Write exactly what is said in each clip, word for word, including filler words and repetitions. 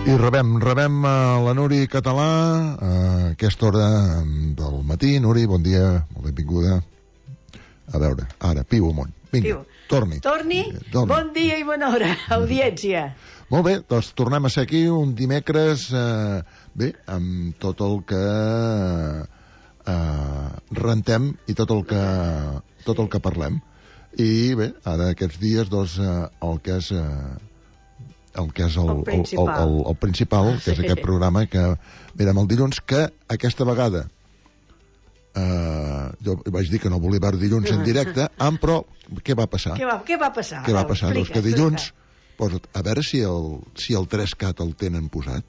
I rebem, rebem a la Nuri Català a aquesta hora del matí. Nuri, bon dia, molt benvinguda. A veure, ara, piu amunt. Vinga, torni. Torni? Torni. Bon dia i bona hora, audiència. Molt bé, doncs tornem a ser aquí un dimecres, eh, bé, amb tot el que eh, rentem i tot el que, tot el que parlem. I bé, ara aquests dies, doncs, eh, el que és... Eh, el que és el, el principal, el, el, el principal que és aquest programa que mirem el dilluns, que aquesta vegada eh, jo vaig dir que no volia veure dilluns en directe, amb, però què va passar? Què va, què va passar? Què va passar? Doncs que dilluns, pues, a veure si el, si el tres cat el tenen posat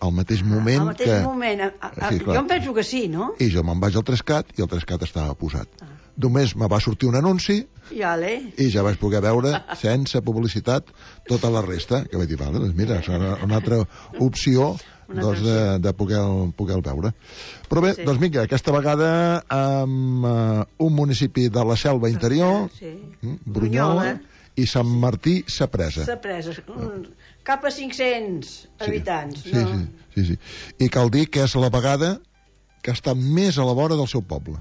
al mateix moment. Al mateix que... moment, a, a, sí, jo em penso que sí, no? I jo me'n vaig al tres cat i el tres cat estava posat. Ah. Només me va sortir un anunci Vale. I ja vaig poder veure sense publicitat tota la resta, que vaig dir, vale, doncs mira, és una, una altra opció doncs, de, de poder, poder veure. Però bé, sí. doncs vinga, aquesta vegada amb uh, un municipi de la Selva Interior, sí. Brunyola, i Sant Martí Sapresa. Sapresa, cap a cinc-cents sí. habitants. Sí, no? sí, sí, sí. I cal dir que és la vegada que està més a la vora del seu poble.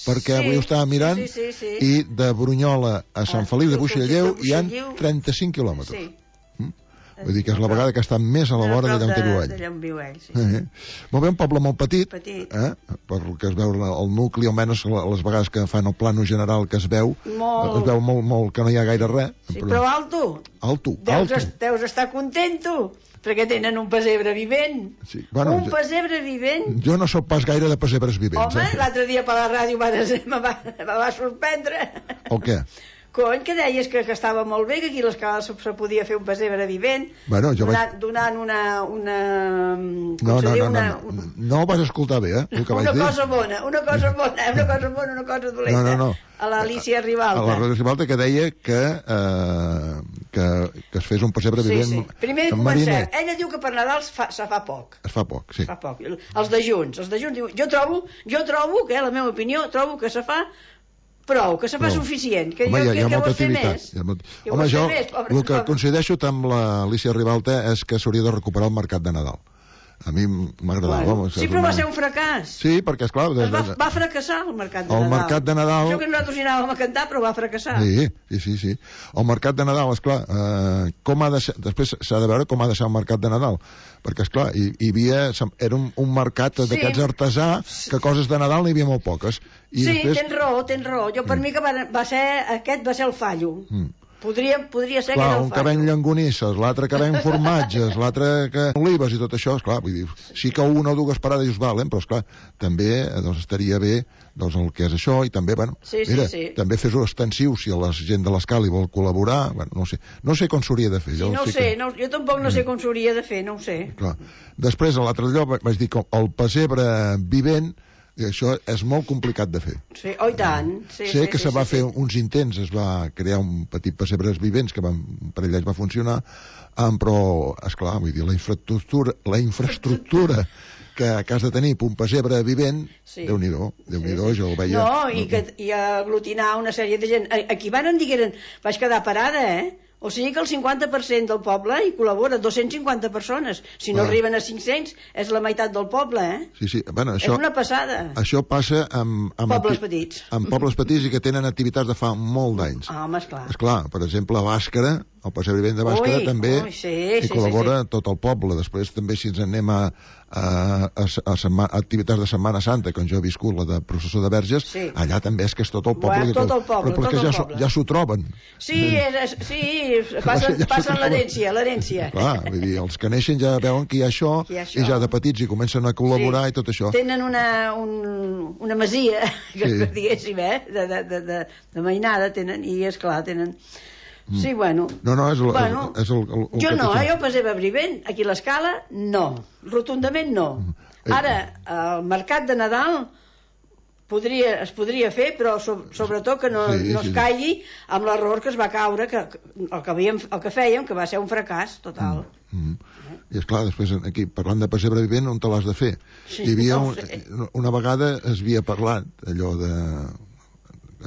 Perquè sí, avui ho estava mirant sí, sí, sí, sí. i de Brunyola a Sant Feliu de Buixalleu hi ha trenta-cinc quilòmetres. Sí. Mm? Vull dir que és la vegada que està més a la vora d'allà on viu ell. D'allà on viu ell, sí. Eh? Molt bé, un poble molt petit, petit. Eh? Per el que es veu el nucli, almenys les vegades que fan el plano general que es veu, molt... es veu molt, molt que no hi ha gaire res. Sí, però, però alto. Alto, deus, alto. Es, deus estar contento. Perquè tenen un pessebre vivent. Sí. Bueno, un pessebre vivent. Jo no sóc pas gaire de pessebres vivents. Home, eh? l'altre dia per la ràdio va, me, va, me va sorprendre. El què? Cony, que deies que, que estava molt bé, que aquí a l'escala se, se podia fer un pessebre vivent, bueno, jo donant, vaig... donant una... una no, no, no, una, no, no, no ho vas escoltar bé, eh? El que una vaig cosa dir. bona, una cosa bona, una cosa bona, una cosa dolenta. No, no, no. A l'Alicia Ribalta. A l'Alicia Ribalta, que deia que, eh, que, que es fes un pessebre sí, vivent sí. Primer de començar, ella diu que per Nadal es fa, se fa poc. Es fa poc, sí. Es fa poc. Els dejuns, els dejuns diu, jo trobo, jo trobo, que eh, la meva opinió, trobo que se fa prou, que se fa prou. Suficient, que home, jo hi ha, hi ha que, molta que activitat. Més. Molt... Que home, jo més, pobre, el que pobre. coincideixo amb l'Alicia Ribalta és que s'hauria de recuperar el mercat de Nadal. A mi m'agradava. Bueno, sí, però va ser un fracàs. Sí, perquè, esclar... Es va, va fracassar el mercat de el Nadal. El mercat de Nadal... Jo que nosaltres hi anàvem a cantar, però va fracassar. Sí, sí, sí. sí. El mercat de Nadal, esclar, eh, com ha de ser... Després s'ha de veure com ha de ser el mercat de Nadal. Perquè, esclar, hi, hi havia... Era un, un mercat sí. d'aquests artesà que coses de Nadal n'hi havia molt poques. I sí, després... tens raó, tens raó. Jo per mm. mi que va, va ser... Aquest va ser el fallo. Mm. Podria, podria ser clar, que era el un que ven llangonisses, l'altre que ven formatges, l'altre que olives i tot això, esclar, vull dir, sí que una o dues parades us valen, però esclar, també doncs, estaria bé doncs, el que és això, i també, bueno, sí, mira, sí, sí. també fes-ho extensiu si la gent de l'escala hi vol col·laborar, bueno, no sé, no sé com s'hauria de fer. Sí, jo no ho sí sé, que... no, jo tampoc no sé com s'hauria de fer, no ho sé. Clar. Després, a l'altre lloc, vaig dir que el pessebre vivent, i això és molt complicat de fer. Sí, oh i tant. Sí, sé sí, que sí, se va sí, fer sí. uns intents, es va crear un petit pessebres vivents que van, per ells va funcionar, um, però, esclar, vull dir, la infraestructura, la infraestructura que, que has de tenir per un pessebre vivent, sí. Déu-n'hi-do, Déu-n'hi-do, sí, sí. Jo ho veia... No, i, que, i aglutinar una sèrie de gent... Aquí van dir que eren... Vaig quedar parada, eh? O sigui que el cinquanta per cent del poble hi col·labora, dues-centes cinquanta persones. Si no ah. arriben a cinc-cents, és la meitat del poble, eh? Sí, sí. Bueno, això, és una passada. Això passa amb... amb pobles petits. Amb pobles petits i que tenen activitats de fa molt d'anys. Ah, home, esclar. Esclar, per exemple, a Bàscara, el pessebre vivent de Bàscara, ui, també ui, sí, hi sí, col·labora sí, sí. tot el poble. Després també si ens anem a, a, a, a, a activitats de Setmana Santa, com jo he viscut, la de processó de Verges, sí. allà també és que és tot el poble. Bueno, tot el poble, però, però tot que el ja, poble. Ja s'ho troben. Sí, és, sí passen, ja passen l'herència, l'herència. Clar, vull dir, els que neixen ja veuen que hi ha això, hi ha això. I ja de petits hi comencen a col·laborar sí. i tot això. Tenen una, un, una masia, que sí. diguéssim, eh, de, de, de, de, de mainada, tenen, i esclar, tenen... Sí, bueno. No, no, és el, bueno, és el, el, el jo no, eh, jo pessebre vivent, aquí a l'escala, no. Rotundament no. Ara, el mercat de Nadal podria, es podria fer, però so, sobretot que no, sí, no es caigui amb l'error que es va caure, que, el, que havíem, el que fèiem, que va ser un fracàs total. Mm, mm. I esclar, després aquí, parlant de pessebre vivent, on te l'has de fer? Sí, Hi havia no un, una vegada es havia parlat allò de...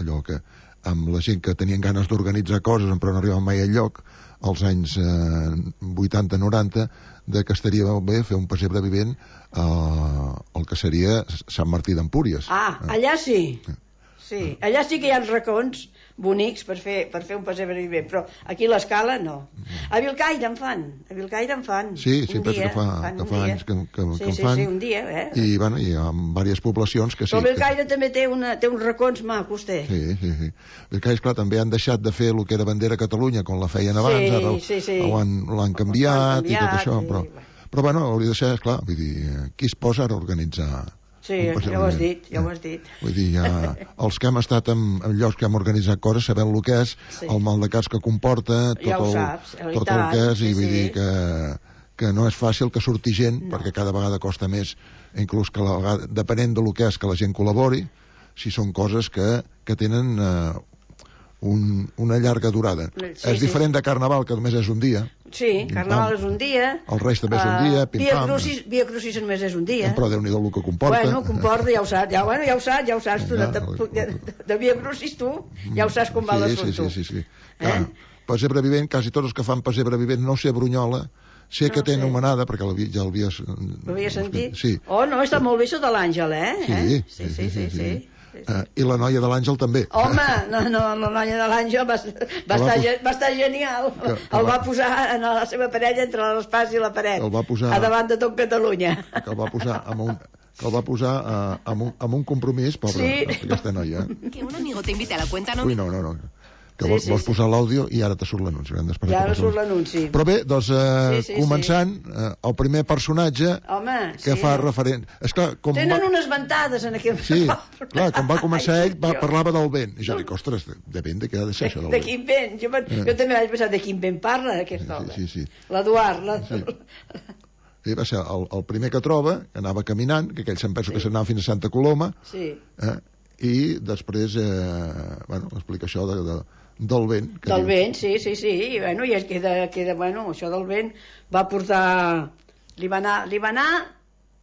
allò que amb la gent que tenien ganes d'organitzar coses però no arribaven mai al lloc, als anys eh, vuitanta noranta, de que estaria molt bé fer un pessebre vivent eh, el que seria Sant Martí d'Empúries. Ah, allà sí. Sí, allà sí que hi ha racons bonics per fer, per fer un pessebre vivent, però aquí a l'Escala no. A Vilcaire en fan, a Vilcaire en fan. Sí, sí, penso que fa, que fa anys que, que, sí, que en sí, fan. Sí, un dia, eh? I, bueno, hi ha diverses poblacions que sí. Però Vilcaire que... també té, una, té uns racons macos, té. Sí, sí, sí. Vilcaire, esclar, també han deixat de fer el que era Bandera Catalunya, com la feien abans, sí, ara sí, sí. l'han canviat, canviat i tot això, sí, però, però bueno, hauria de ser, esclar, vull dir, qui es posa ara a organitzar... Sí, ja ho has dit, ja ho has dit. Vull dir, ja, els que hem estat en, en llocs que hem organitzat coses sabem el que és, sí. El mal de cas que comporta, tot, ja el, saps, tot el que és, sí, i vull sí. dir que, que no és fàcil que surti gent, no. Perquè cada vegada costa més, inclús que la vegada, depenent de lo que és, que la gent col·labori, si són coses que, que tenen eh, un, una llarga durada. Sí, és diferent sí. De Carnaval, que només és un dia. Sí, Carnaval és un dia. El Reis també és un dia, uh, Via Crucis, Via Crucis només és un dia. Però Déu-n'hi-do el que comporta. Bueno, comporta, ja ho saps, ja, bueno, ja ho saps, ja ho saps tu, ja, de, de, de, de Via Crucis tu, ja ho saps com va sí, l'assumpte. Sí, sí, sí, sí. Clar, eh? Pessebre vivent, quasi tots els que fan pessebre vivent, no sé Brunyola, sé no que té anomenada, perquè ja l'havia... L'havia sentit? Sí. Oh, no, està molt bé això de l'Àngel, eh? Sí, sí, sí, sí. sí, sí, sí. sí. Uh, I la noia de l'Àngel també. Home, no, no, la noia de l'Àngel va, va, estar, va estar genial. Que, que el va, va posar en la seva parella entre l'espàs i la paret. El va posar... A davant de tot Catalunya. Que el va posar amb un... que el va posar uh, amb, un, amb un compromís, pobra, sí. Aquesta noia. Que un amigo te invite a la cuenta, no... Ui, no, no, no. Que sí, vols, sí, vols sí. posar l'àudio i ara te surt l'anunci. Ja ara surt l'anunci. Però bé, doncs, eh, sí, sí, començant, eh, el primer personatge Home, que sí. fa referent... Esclar, com Tenen va... unes ventades en aquell... Sí, clar, quan va començar ell va, parlava del vent. I jo dic, ostres, de, de vent, de què ha de ser això del de vent? De quin vent? Jo, eh. jo també vaig pensar, de quin vent parla aquest home? Sí, sí, sí. L'Eduard. La... Sí. Sí, va ser el, el primer que troba, que anava caminant, que aquell se'n pensa sí. Que s'anava fins a Santa Coloma, sí. eh, i després, eh, bueno, explica això de... de del vent. Que del diu. Vent, sí, sí, sí. I, bueno, i es queda, queda, bueno, això del vent va portar... Li va anar, li va anar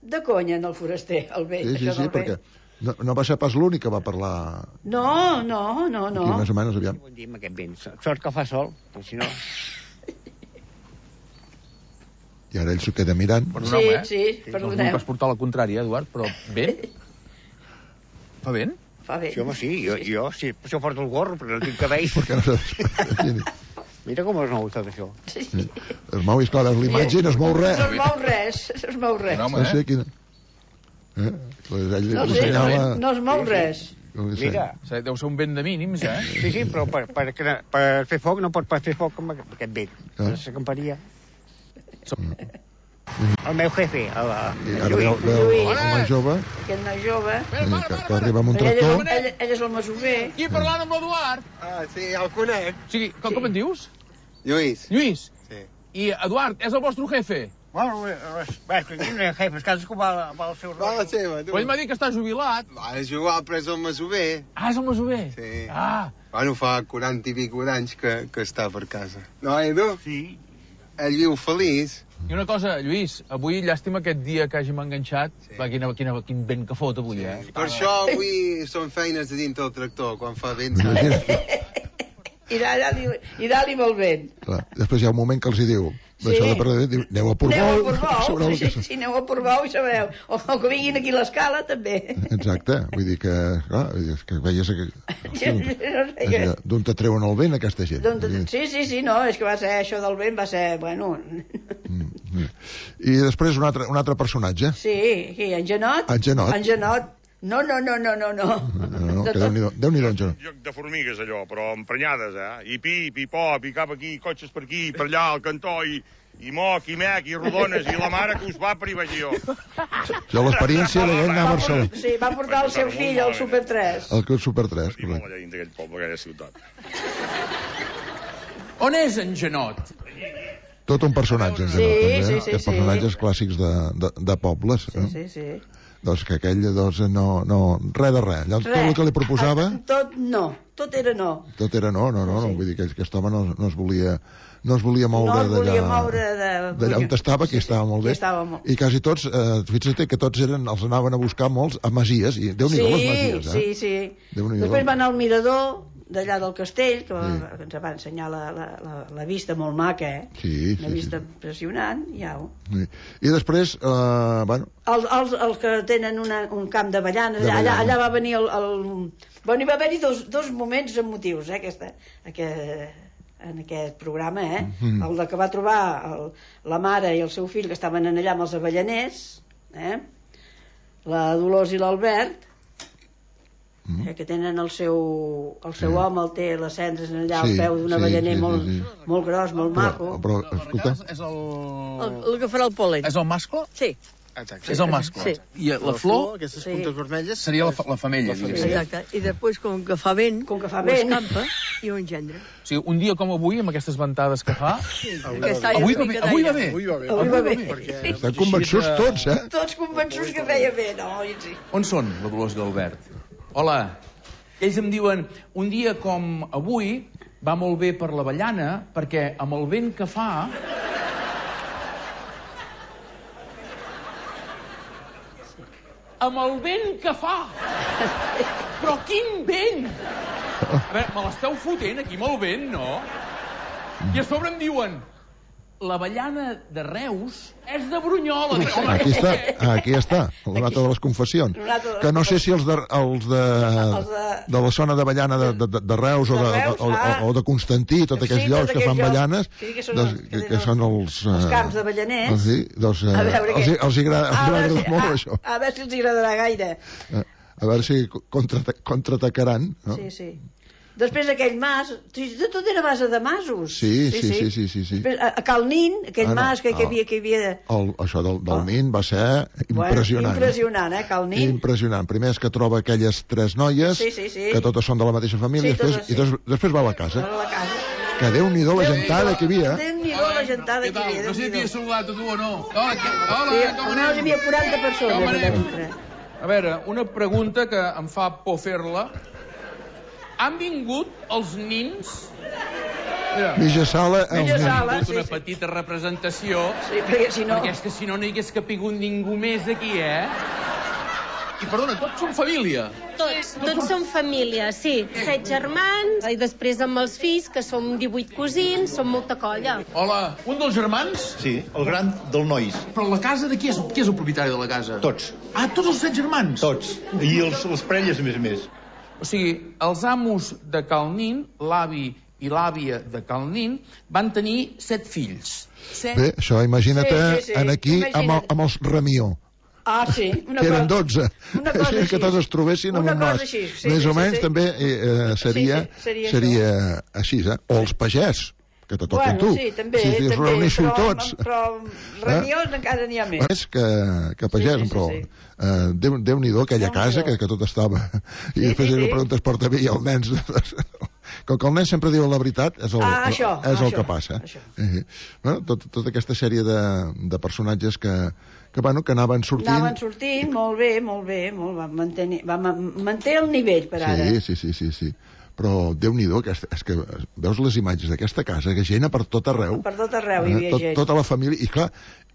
de conya en el foraster, el vent. Sí, sí, això sí, del perquè vent. no, no va ser pas l'únic que va parlar... No, no, no, no. Aquí, més o menys, aviam. Bon dia amb aquest vent. Sort que fa sol, però si no... I ara ell s'ho queda mirant. Perdoneu, eh? Sí, sí, perdoneu. No us vull portar la contrària, Eduard, però vent? Fa vent? Fa vent. Sí, home, sí, jo, jo sí, per això porto el gorro, perquè no tinc cabell. Perquè no saps... Mira com es mou tot això. Sí. Es mou, esclar, és l'imatge i no es mou res. No es mou res, no es mou res. No, home, no sé quina... Eh? Pues ell no sé, no, no es mou res. Mira. Deu ser un vent de mínims, eh? Sí, sí, però per, per, per fer foc no pot fer foc amb aquest vent. Ah. S'acamparia. El meu jefe, el, el, el Lluís. Veu, veu el noi jove. Aquest noi jove. Que, que arriba amb un tractor. Ell, ell, ell és el masover. Aquí parlant amb l'Eduard. Ah, sí, el conec. O sigui, com, sí. Com en dius? Lluís. Lluís. Sí. I Eduard, és el vostre jefe? Bueno, és que aquí no hi ha jefes, cadascú va, va al seu rol. Va a la seva, tu. Però ell m'ha dit que està jubilat. Va, és jubilat, però és el masover. Ah, és el masover? Sí. Ah. Bueno, fa quaranta i pico d'anys que, que està per casa. No, Edu? Sí. Ell viu feliç. I una cosa, Lluís, avui llàstima aquest dia que hàgim enganxat. Sí. Va, quina, quina, quin vent que fot avui, sí. Eh? Per això avui són feines de dintre del tractor, quan fa vent. I dalt-hi i dalt molt vent. Clar, després hi ha un moment que els hi diu, sí. Això de perdre, diu, aneu a Portbou. Aneu a Portbou, sí, sí, aneu a Portbou i sabreu. O, o que vinguin aquí a l'Escala, també. Exacte, vull dir que, clar, que veies que... D'on te treuen el vent, aquesta gent. Sí, sí, sí, no, és que va ser això del vent, va ser, bueno... I després un altre, un altre personatge. Sí, aquí, en Genot. En Genot. En Genot. No, no, no, no, no, no. No, no, que Déu-n'hi-do, Déu-n'hi-do, en Genot. Joc de formigues, allò, però emprenyades, eh? I pi, pipó, pi cap aquí, cotxes per aquí, per allà, al cantó, i... i moc, i mec, i rodones, i la mare que us va privagió. Jo l'experiència de anar a Barcelona. Sí, va portar el seu fill al Super tres. El Super tres. I molt allà dins d'aquell poble, aquella ciutat. On és en Genot? Tot un personatge, en Genot, també. Sí, sí, sí. Personatges clàssics de, de, de pobles. Sí, sí, sí. Doncs que aquell, doncs, no, no, res de res. Allò, tot el que li proposava... Tot no, tot era no. Tot era no, no, no, no. Vull dir que aquest home no, no es volia... no es volia moure no d'allà d'allà on estava, que sí, estava molt bé, molt... i quasi tots, eh, fixa't que tots eren, els anaven a buscar molts a masies, i Déu-n'hi-do sí, les masies, eh? Sí, sí, Déu-n'hi-do. Després va anar al mirador, d'allà del castell, que sí. ens va ensenyar la, la, la, la vista molt maca, eh? Sí, sí, una vista sí. impressionant, ja ho. Sí. I després, eh, bueno... Els, els, els que tenen una, un camp d'avellanes, allà, allà, allà va venir el... el... Bueno, hi va haver-hi dos, dos moments emotius, eh, aquesta, aquest, en aquest programa, eh? Mm-hmm. El de que va trobar el, la mare i el seu fill que estaven allà amb els avellaners, eh? La Dolors i l'Albert, Mm. Eh, que tenen el seu, el seu sí. home, el té les cendres allà sí, al peu d'un avellaner sí, sí, molt, sí, sí. molt gros, molt però, maco. Però, escolta... És el... el... El que farà el pol·len. És el mascle? Sí. Exacte. És el mascle. Sí. I la, la flor, aquestes sí. puntes vermelles... Seria la, la femella, diguéssim. Exacte. I després, com que fa vent, com que fa vent, escampa i ho engendre. O sigui, un dia com avui, amb aquestes ventades que fa... Sí. Avui, avui, va bé, avui va bé. Avui va bé. Avui va bé. Perquè... Estan convençuts tots, eh? Tots convençuts que feia bé, no? Sí. On són, la Dolors i l'Albert? Hola. Ells em diuen, un dia com avui va molt bé per l'avellana, perquè amb el vent que fa... Amb el vent que fa! Però quin vent! A veure, me l'esteu fotent aquí amb el vent, no? I a sobre em diuen... L'avellana de Reus és de Brunyola. Aquí està, aquí està, una altra de les confessions. Que no sé si els de, els de, de la zona d'avellana de, de, de Reus o de, o, o de Constantí, tots aquests sí, llocs que fan avellanes, sí, que, són, doncs, que, que són els... Els camps d'avellaners. Sí, doncs, eh, els, els agrada, els agrada si, molt, a, això. A veure si els agradarà gaire. A, a veure si contraatacaran. No? Sí, sí. Després aquell mas, de tot era base de masos. Sí, sí, sí, sí, sí, sí, sí. Després, a, a Cal Nin, aquell ah, no, mas que, que, havia, que havia... El, això del, del oh. Nin va ser impressionant. Bueno, impressionant, eh, Cal Nin. Impressionant. Primer és que troba aquelles tres noies, sí, sí, sí. que totes són de la mateixa família, sí, després, sí. i des, després va a la casa. Va a la casa. Que Déu-n'hi-do la gentada que hi havia. Déu-n'hi-do la gentada que hi havia. No sé si t'hi he saludat a tu o no. Hola, hola, sí, com anem? Hi havia quaranta persones allà dintre. A veure, una pregunta que em fa por fer-la. Han vingut els nins? Mitja sala, els nins. Ha vingut una petita representació, sí, perquè si no... perquè és que si no no hi hagués capigut ningú més aquí, eh? I perdona, tots són família? Tots, tots som família, sí. Set germans, i després amb els fills, que som divuit cosins, som molta colla. Hola, un dels germans? Sí, el gran del Nois. Però la casa de qui és? Qui és el propietari de la casa? Tots. Ah, tots els set germans? Tots. I els, les parelles, a més a més. O sigui, els amos de Cal Nin, l'avi i l'àvia de Cal Nin, van tenir set fills. Set... Bé, això imagina't sí, sí, sí. en aquí imagina't. amb, el, amb els Ramió. Ah, sí. Una que eren cosa, dotze. Una cosa així. Que tots es trobessin amb un nas. Així, sí, més sí, o menys sí, sí. també eh, seria, sí, sí, seria, seria així, eh? O els pagès, que te toquen bueno, tu. Sí, també, si es reuneixo tots. Però Ramiós eh? encara n'hi ha més. Més que, que pagès, sí, sí, però... Sí, sí. Uh, Déu, Déu-n'hi-do, aquella Déu casa que, que tot estava... I sí, després sí, sí. preguntes porta bé i el nen... Com que el nen sempre diu la veritat, és el, ah, això, és el això, que passa. Uh, bueno, tot, tota aquesta sèrie de, de personatges que, que, bueno, que anaven sortint... Anaven sortint, molt bé, molt bé, molt, va, mantenir, va mantenir el nivell per ara. Sí, sí, sí, sí, sí. Però Déu-n'hi-do, que, és que veus les imatges d'aquesta casa, que gent per tot arreu. Per tot arreu hi havia tot, gent. Tota la família, i clar,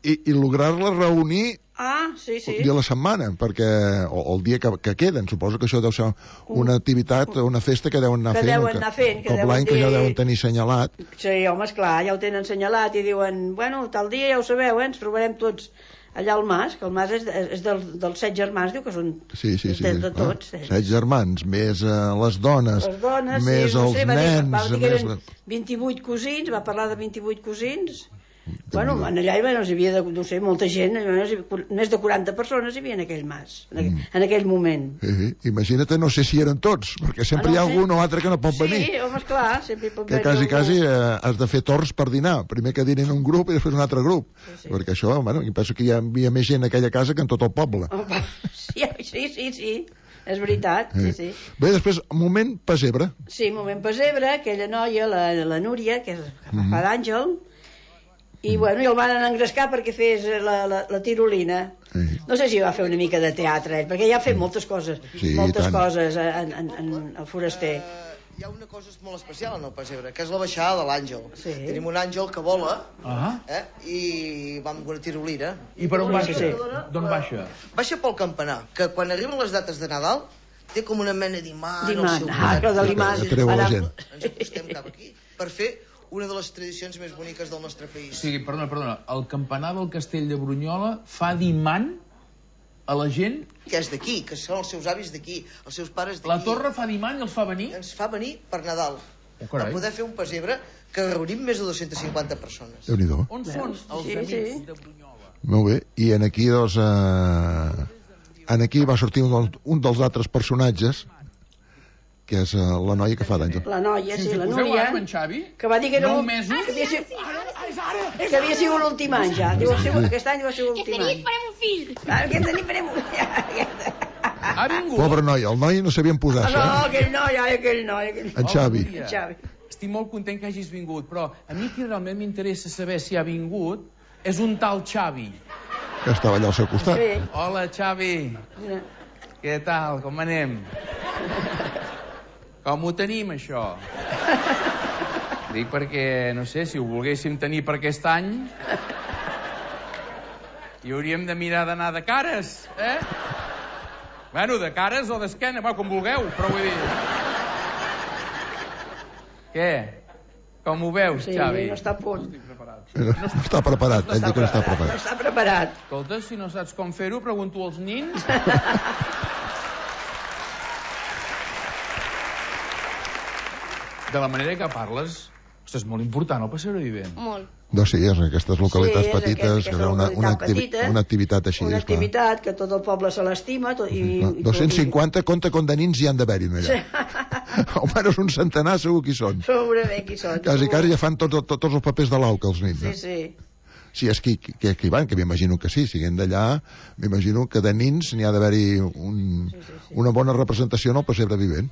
i, i lograr-la reunir ah, sí, sí. un dia a la setmana, perquè, o, o el dia que, que queden, suposo que això deu ser una activitat, una festa que deuen anar que fent. Deuen anar fent que com l'any dir... que ja deuen tenir assenyalat. Sí, home, esclar, ja ho tenen assenyalat i diuen, bueno, tal dia ja ho sabeu, eh, ens trobarem tots allà al mas, que el mas és, és del, dels set germans, diu que són sí, sí, sí, de, sí. de tots. Ah, set germans, més uh, les dones, les dones més sí, no els sé, va nens... Dir, va dir que més... eren vint-i-vuit cosins, va parlar de vint-i-vuit cosins... Bueno, en allà bueno, hi havia, de, no sé, molta gent, més de quaranta persones hi havia en aquell mas, en aquell, mm. en aquell moment. Eh, imagina't, no sé si eren tots, perquè sempre ah, no, hi ha sí. algun o altre que no pot sí, venir. Sí, home, esclar, sempre hi pot que venir. quasi, quasi eh, has de fer torns per dinar. Primer que dinin un grup i després un altre grup. Sí, sí. Perquè això, bueno, penso que hi havia més gent en aquella casa que en tot el poble. Oh, sí, sí, sí, sí. És veritat, sí, sí. Bé, després, moment pessebre. Sí, moment pessebre, aquella noia, la, la Núria, que és que fa mm. d'àngel, i bueno, i el van engrescar perquè fes la, la, la tirolina. Sí. No sé si va fer una mica de teatre, eh, perquè ja ha fet moltes coses, sí, moltes tant. coses en, en, en el foraster. Uh, hi ha una cosa molt especial en el pessebre, que és la baixada de l'àngel. Sí. Tenim un àngel que vola, uh -huh. eh, i va amb una tirolina. I per on baixa? Sí. D'on baixa? Baixa pel campanar, que quan arriben les dates de Nadal té com una mena d'imant. D'imant, ah, que de l'imant. Atreu a la gent. Ens acostem cap aquí per fer una de les tradicions més boniques del nostre país. Sí, perdona, perdona. El campanar del castell de Brunyola fa d'imant a la gent? Que és d'aquí, que són els seus avis d'aquí, els seus pares d'aquí. La torre fa d'imant i els fa venir? Ens fa venir per Nadal. Oh, carai. Per poder fer un pessebre que reunim més de dues-centes cinquanta persones. Déu-n'hi-do. On són els Sí, amics sí. de Brunyola? Molt bé. I en aquí, doncs... Eh... En aquí va sortir un, un dels altres personatges, que és uh, la noia que fa d'Àngel. La noia, sí, Si la us hi poseu Núria, ara, en Xavi, que va dir que era nou l'últim- mesos... que havia sigut, que havia sigut l'últim any ja. Diu, sí. Aquest any va ser l'últim any. farem un fill. Aquest any farem un fill. Ha vingut. Pobre noi, el noi no sabien posar, No, eh? aquell noi, ai, aquell noi. Aquell... En Xavi. Oh, Núria, Xavi. estic molt content que hagis vingut, però a mi qui realment m'interessa saber si ha vingut és un tal Xavi. Que estava allà al seu costat. Sí. Hola, Xavi. Mira. Què tal? Com anem? Com ho tenim, això? Dic perquè, no sé, si ho volguéssim tenir per aquest any, hi hauríem de mirar d'anar de cares, eh? Bueno, de cares o d'esquena, va, com vulgueu, però vull dir... Què? Com ho veus, Sí, Xavi? no està a punt. No està preparat, ell diu que no està No preparat. està preparat. Escolta, si no saps com fer-ho, pregunto als nins. De la manera que parles, ostres, és molt important el passeig vivent. Molt. Doncs sí, és en aquestes localitats Sí, és petites, aquest- que aquesta hi ha una, una, localitat activi petita, una activitat així, Una esclar. activitat que tot el poble se l'estima. tot- i- No, i- dos-cents cinquanta, compte com de nins hi han d'haver-hi allà. Almenys un centenar segur que hi són. Segurament qui són. Quasi, quasi ja fan tots, tots, tots els papers de l'auca, els nins. Sí, Eh? sí. Si és que, que, que hi van, que m'imagino que sí, siguent d'allà, m'imagino que de nins n'hi ha d'haver-hi un, Sí, sí, sí. una bona representació en el pessebre vivent.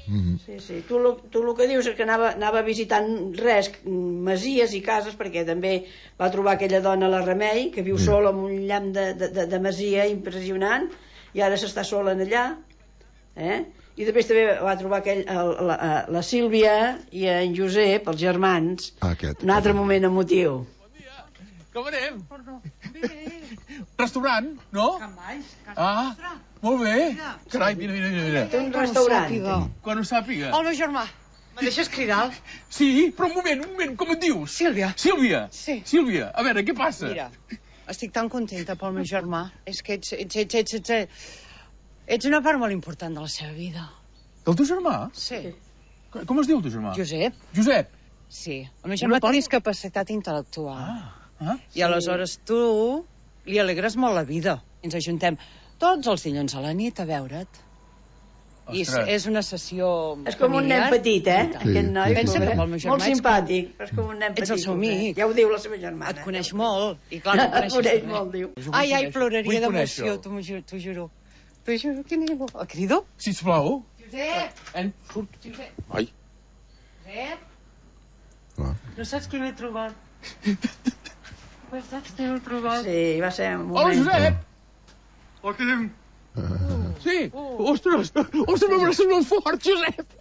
Mm -hmm. Sí, sí. Tu, lo- tu el que dius és que anava, anava visitant res, masies i cases, perquè també va trobar aquella dona, la Remei, que viu Sí. sola en un llamp de, de, de, de masia impressionant, i ara s'està sola en allà, eh? I després també va trobar aquell, el, la, la Sílvia i en Josep, els germans, Ah, aquest. un altre moment emotiu. Com anem? Restaurant, no? Ah, molt bé. Carai, mira, mira, mira. Té un restaurant. Quan ho sàpiga. El meu germà. Me deixes cridar? Sí, però un moment, un moment, com et dius? Sílvia. Sílvia. Sí. Sílvia, a veure, què passa? Mira, estic tan contenta pel meu germà. És que ets, ets, ets, ets, ets, ets, ets una part molt important de la seva vida. Del teu germà? Sí. Com es diu el teu germà? Josep? Josep. Sí. El meu germà té discapacitat intel·lectual. Ah, ah. I aleshores tu li alegres molt la vida. Ens ajuntem tots els dilluns a la nit a veure't. I és, Ostres. és una sessió És com un nen familiar. petit, eh? I tant. Sí, Aquest noi, sí, Pensa sí. que pobret. pel meu germà Molt ets simpàtic, però és com un nen petit. Ets el seu pobret. amic. Ja ho diu la seva germana. Et coneix molt. I clar, no et coneixes Coneix res. molt, diu. Ai, ai, ploraria Vull d'emoció, conèixer-lo. t'ho ju- t'ho juro. T'ho juro que ningú... El crido? Sisplau. Josep! En... Surt. Ai. Josep! Ah. No saps qui m'he trobat? No saps qui m'he trobat? Sí, va ser un Hola, moment. Josep. Hola, què diu? Sí. Ostres, ostres, m'abraces molt fort, Josep.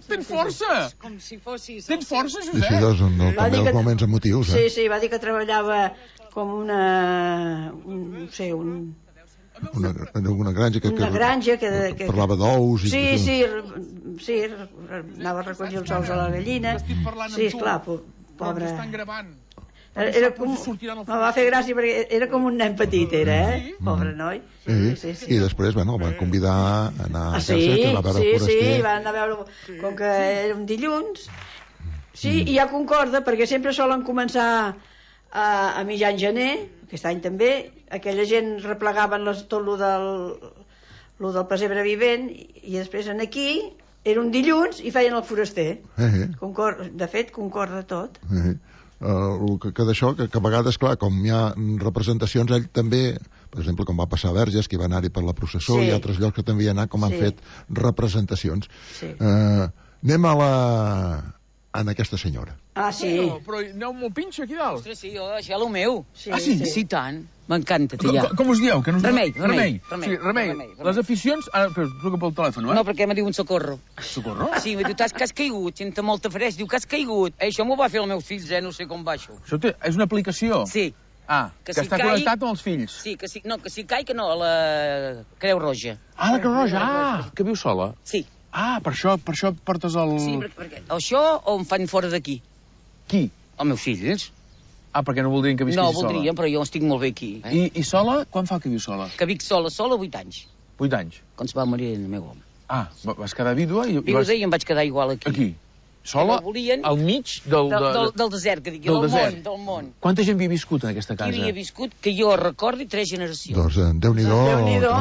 Tens força. Com si fossis... Tens força, Sí, sí, Josep? doncs, no, Va també dir els que- moments emotius, Sí, eh? sí, va dir que treballava com una... Un, no sé, un... Una, en una granja que, que, Una granja que... que parlava d'ous i... Sí, sí, sí, anava a recollir els ous a la gallina. Estic parlant Sí, amb tu. esclar, po- Però pobre... ens estan gravant. Era, era com... Sortiran al Me va fer gràcia perquè era com un nen petit, era, eh? Pobre noi. Sí, sí, sí. I després, bueno, el van convidar a anar Ah, a sí, casa, que va veure sí, el sí, foraster. van anar a veure... Com que era un dilluns... Sí, i ja concorda, perquè sempre solen començar a, a mitjan gener, aquest any també, aquella gent replegaven les, tot lo del, lo del pessebre vivent, i, i després en aquí era un dilluns i feien el foraster. Eh, eh. Concor, de fet, concorda tot. Eh, uh, que, que d'això, que, que a vegades, clar, com hi ha representacions, ell també, per exemple, com va passar a Verges, que va anar-hi per la processó, Sí. i altres llocs que també hi ha anat, com han Sí. fet representacions. Sí. Uh, anem a la... en aquesta senyora. Ah, sí. Però, però aneu molt pinxa aquí dalt. Ostres, sí, jo, això és el meu. Sí, Ah, sí? Sí, tant. M'encanta, Com, tia. com us dieu? Que no us... Remei, remei, remei. remei, Sí, remei. remei, remei. Les aficions... Ara, però truca pel telèfon, eh? No, perquè m'ha dit un socorro. Socorro? Sí, m'ha dit, t'has que has caigut, senta molta fresc, diu que has caigut. Eh, això m'ho va fer el meu fill, eh, no sé com va això. Això té, és una aplicació? Sí. Ah, que, que està connectat amb els fills. Sí, que si, no, que si cai, que no, a la Creu Roja. Ah, la Creu Roja, ah, que viu sola. Sí. Ah, per això, per això portes el... Sí, perquè, perquè això o em fan fora d'aquí. Qui? Els meus fills. Ah, perquè no voldrien que visquis sola. No, voldrien, sola. Però jo estic molt bé aquí. Eh? I, I sola? Quan fa que viu sola? Que vic sola, sola, vuit anys. Vuit anys? Quan es va morir el meu home. Ah, vas quedar vídua i... Vídua vas... i em vaig quedar igual aquí. Aquí? Sola? Volien... Al mig del... Del, del, del desert, que digui, del, del desert. món, del món. Quanta gent havia viscut en aquesta casa? Qui havia viscut, que jo recordi, tres generacions. Doncs eh, Déu-n'hi-do. Déu-n'hi-do.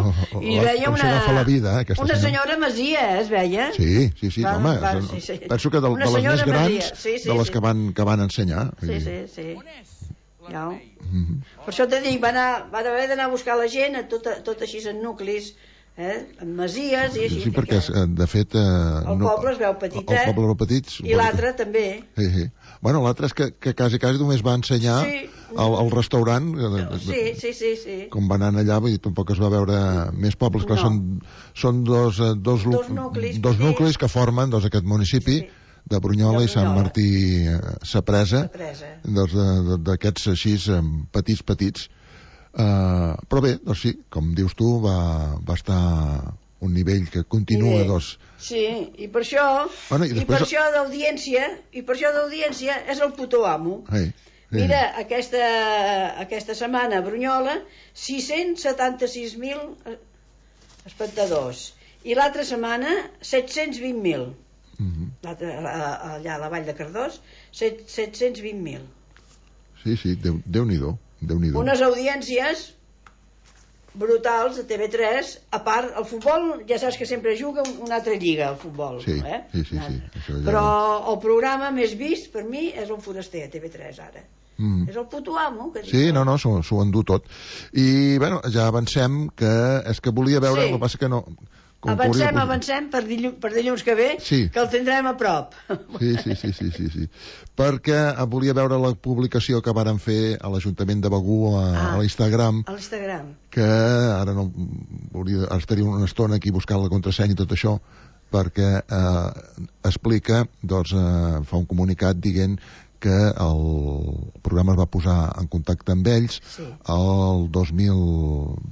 I veia una... la vida, eh, una senyora Masia, eh, es veia? Sí, sí, sí, va, home. Va, sí, sí. Penso que de, de les més grans, sí, sí, de les sí. que van, que van ensenyar. Sí, sí, sí. Ja. Mm-hmm. Per això t'he dit, van, anar, van haver d'anar a buscar la gent a tot, tot així en nuclis, eh? En masies i així. Sí, perquè de fet... Eh, el no, poble es veu petit, el, el poble es veu petit. I l'altre també. Sí, sí. Bueno, l'altre és que, que quasi, quasi només va ensenyar sí. al, al restaurant. Sí, sí, sí, sí. Com va anar allà, vull dir, tampoc es va veure més pobles. Clar, no. són, són dos, dos, dos nuclis, dos nuclis que formen doncs, aquest municipi. Sí. De Brunyola i Sant Martí eh, Sapresa, doncs d'aquests així petits, petits. Uh, però bé, doncs sí, com dius tu, va, va estar un nivell que continua, doncs... Sí, i per això, bueno, i, després... i per això d'audiència, i per això d'audiència és el puto amo. Hey, hey. Mira, aquesta, aquesta setmana a Brunyola, sis-cents setanta-sis mil espectadors, i l'altra setmana, set-cents vint mil. Mm-hmm. Allà a la Vall de Cardós, set-cents vint mil. Sí, sí, Déu, Déu-n'hi-do, Déu-n'hi-do. Unes audiències brutals a T V tres. A part, el futbol, ja saps que sempre juga una altra lliga, el futbol. Sí, eh? sí, sí, sí. Això ja... Però el programa més vist per mi és el Foraster a T V tres ara. Mm. És el puto amo que sí, no, no, s'ho endú tot. I, bueno, ja avancem que és que volia veure, sí. El que passa que no... Com avancem, volia... avancem per dilluns, per dilluns que ve, sí. Que el tindrem a prop. Sí, sí, sí, sí, sí, sí. Perquè volia veure la publicació que varen fer a l'Ajuntament de Begur a, ah, a l'Instagram. A l'Instagram. Que ara no... Hauria, estaria una estona aquí buscant la contrasenya i tot això, perquè eh, explica, doncs, eh, fa un comunicat dient que el programa es va posar en contacte amb ells sí. El dos mil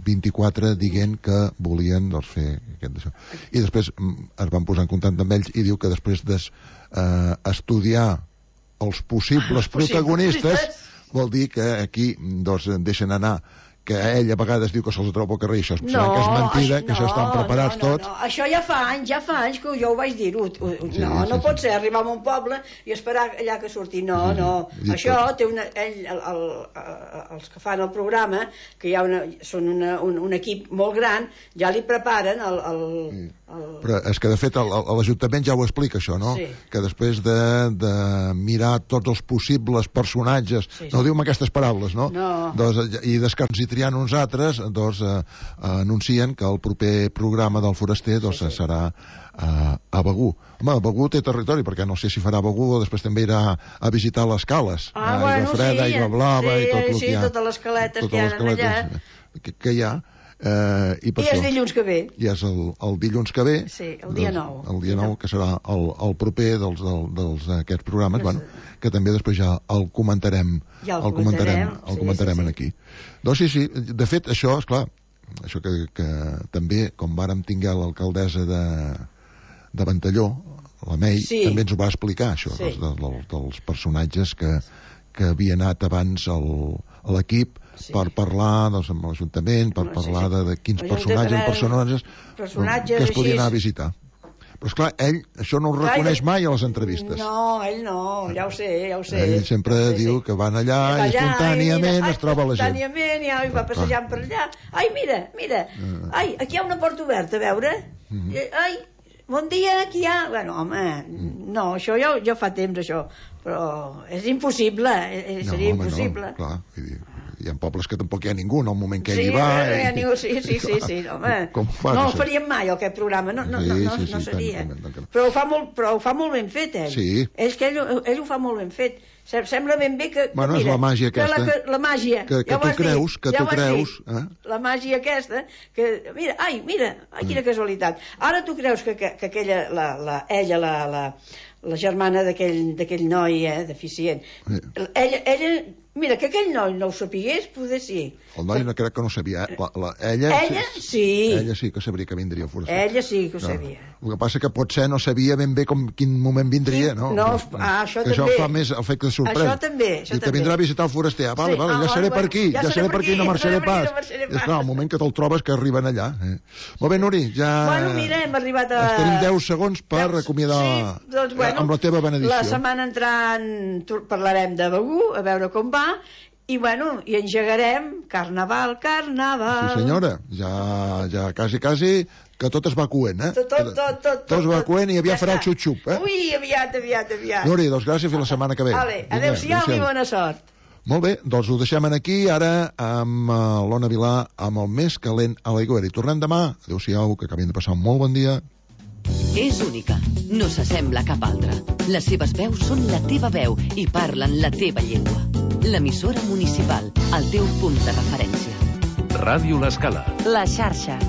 vint-i-quatre dient que volien doncs, fer aquest d'això. I després es van posar en contacte amb ells i diu que després d'estudiar eh, els possibles protagonistes vol dir que aquí doncs, deixen anar que ell a vegades diu que se'ls troba al carrer i això és, no, que és mentida, això, que no, això estan preparats no, no, tots. No. Això ja fa anys, ja fa anys que jo ho vaig dir. No, sí, no sí, pot sí. ser arribar a un poble i esperar allà que surti. No, sí, no. Sí, això tot. Té una... Ell, el, el, el, els que fan el programa, que hi ha una, són una, un, un equip molt gran, ja li preparen el... el, sí. el... Però és que de fet l'Ajuntament ja ho explica això, no? Sí. Que després de, de mirar tots els possibles personatges, sí, sí. No ho diu amb aquestes paraules, no? No. Doncs, i des que ens hi triant uns altres, doncs eh, anuncien que el proper programa del Foraster doncs, sí, sí. serà eh, a Begur. Home, Begur té territori, perquè no sé si farà Begur o després també irà a visitar les cales. Ah, aigua bueno, freda, sí, aigua blava sí, i tot el sí, que hi ha. Totes les caletes totes que hi ha les caletes allà. Que, que hi ha. Eh, i, per I és dilluns que ve. I és el, el dilluns que ve. Sí, el dia nou. El dia nou, que serà el, el proper dels, dels, dels aquests programes, bueno, que també després ja el comentarem, ja el, el comentarem, comentarem, el comentarem sí, sí, sí. aquí. Doncs sí, sí, de fet, això, és clar, això que, que també, com vàrem tinguer l'alcaldessa de, de Ventalló, la Mei, sí. també ens ho va explicar, això, sí. dels, dels, dels personatges que, que havia anat abans el, a l'equip, sí. per parlar doncs, amb l'Ajuntament, per no, parlar sí, sí. De, de quins personatges, personatges, personatges que es podien anar a visitar. Però esclar, ell això no ho reconeix mai a les entrevistes. No, ell no, ja ho sé, ja ho sé. Ell sempre sí, diu sí. que van allà i allà, espontàniament mira, es troba la gent. Espontàniament, ja, i va passejant per allà. Ai, mira, mira, uh. ai, aquí hi ha una porta oberta, a veure. Uh -huh. Ai, bon dia, aquí hi ha... Bueno, home, uh. no, això ja, ja fa temps, això. Però és impossible, eh, seria no, home, impossible. No, clar, vull dir... Hi ha pobles que tampoc hi ha ningú, en el moment que sí, ell hi va... No hi ha ningú, sí, sí, sí, sí, home. Com fa, no el faríem mai, aquest programa, no, no, sí, no, no, sí, sí, no seria. Tant, tant, tant. Però, ho fa molt, però ho fa molt ben fet, ell. Sí. És que ell, ell ho fa molt ben fet. Sembla ben bé que... Bueno, mira, és la màgia aquesta. Que la, la màgia. Que, que ja tu creus, que ja tu creus... Eh? La màgia aquesta, que... Mira, ai, mira, ai, quina casualitat. Ara tu creus que, que, que aquella, la, la, ella, la... la la germana d'aquell noi eh, deficient. Sí. Ella, ella Mira, que aquell noi no ho sapigués, poder sí. El noi no crec que no sabia. La, la, ella, ella sí. Ella sí que sabria que vindria el foraster. Ella sí que ho no. sabia. El que passa que potser no sabia ben bé com quin moment vindria, no? No, ah, això que també. Això fa més efecte de sorpresa. Això també, això I que també. vindrà a visitar el foraster. Ah, vale, sí. vale, ja ah, seré bueno, per aquí, ja, ja seré per aquí, no marxaré pas. No marxaré pas. És clar, el moment que te'l trobes que arriben allà. Eh? Molt bé, Nuri, ja... Bueno, mira, hem arribat a... Ens tenim deu segons per Deus... acomiadar sí, doncs, bueno, amb la teva benedicció. La setmana entrant parlarem de Begur, a veure com va, i bueno, i engegarem Carnaval, Carnaval. Sí senyora, ja, ja quasi, quasi, que tot es va coent, eh? Tot, tot, tot. Tot, tot es va coent i aviat ja farà el xup-xup, eh? Ui, aviat, aviat, aviat. Nuri, doncs gràcies, fins la setmana que ve. Vale, adéu-siau i bona sort. Molt bé, doncs ho deixem aquí, ara amb uh, l'Ona Vilà, amb el més calent a l'aigüera. I tornem demà. Adéu-siau, que acabin de passar un molt bon dia. És única, no s'assembla a cap altra. Les seves veus són la teva veu i parlen la teva llengua. L'emissora municipal, el teu punt de referència. Ràdio L'Escala. La xarxa.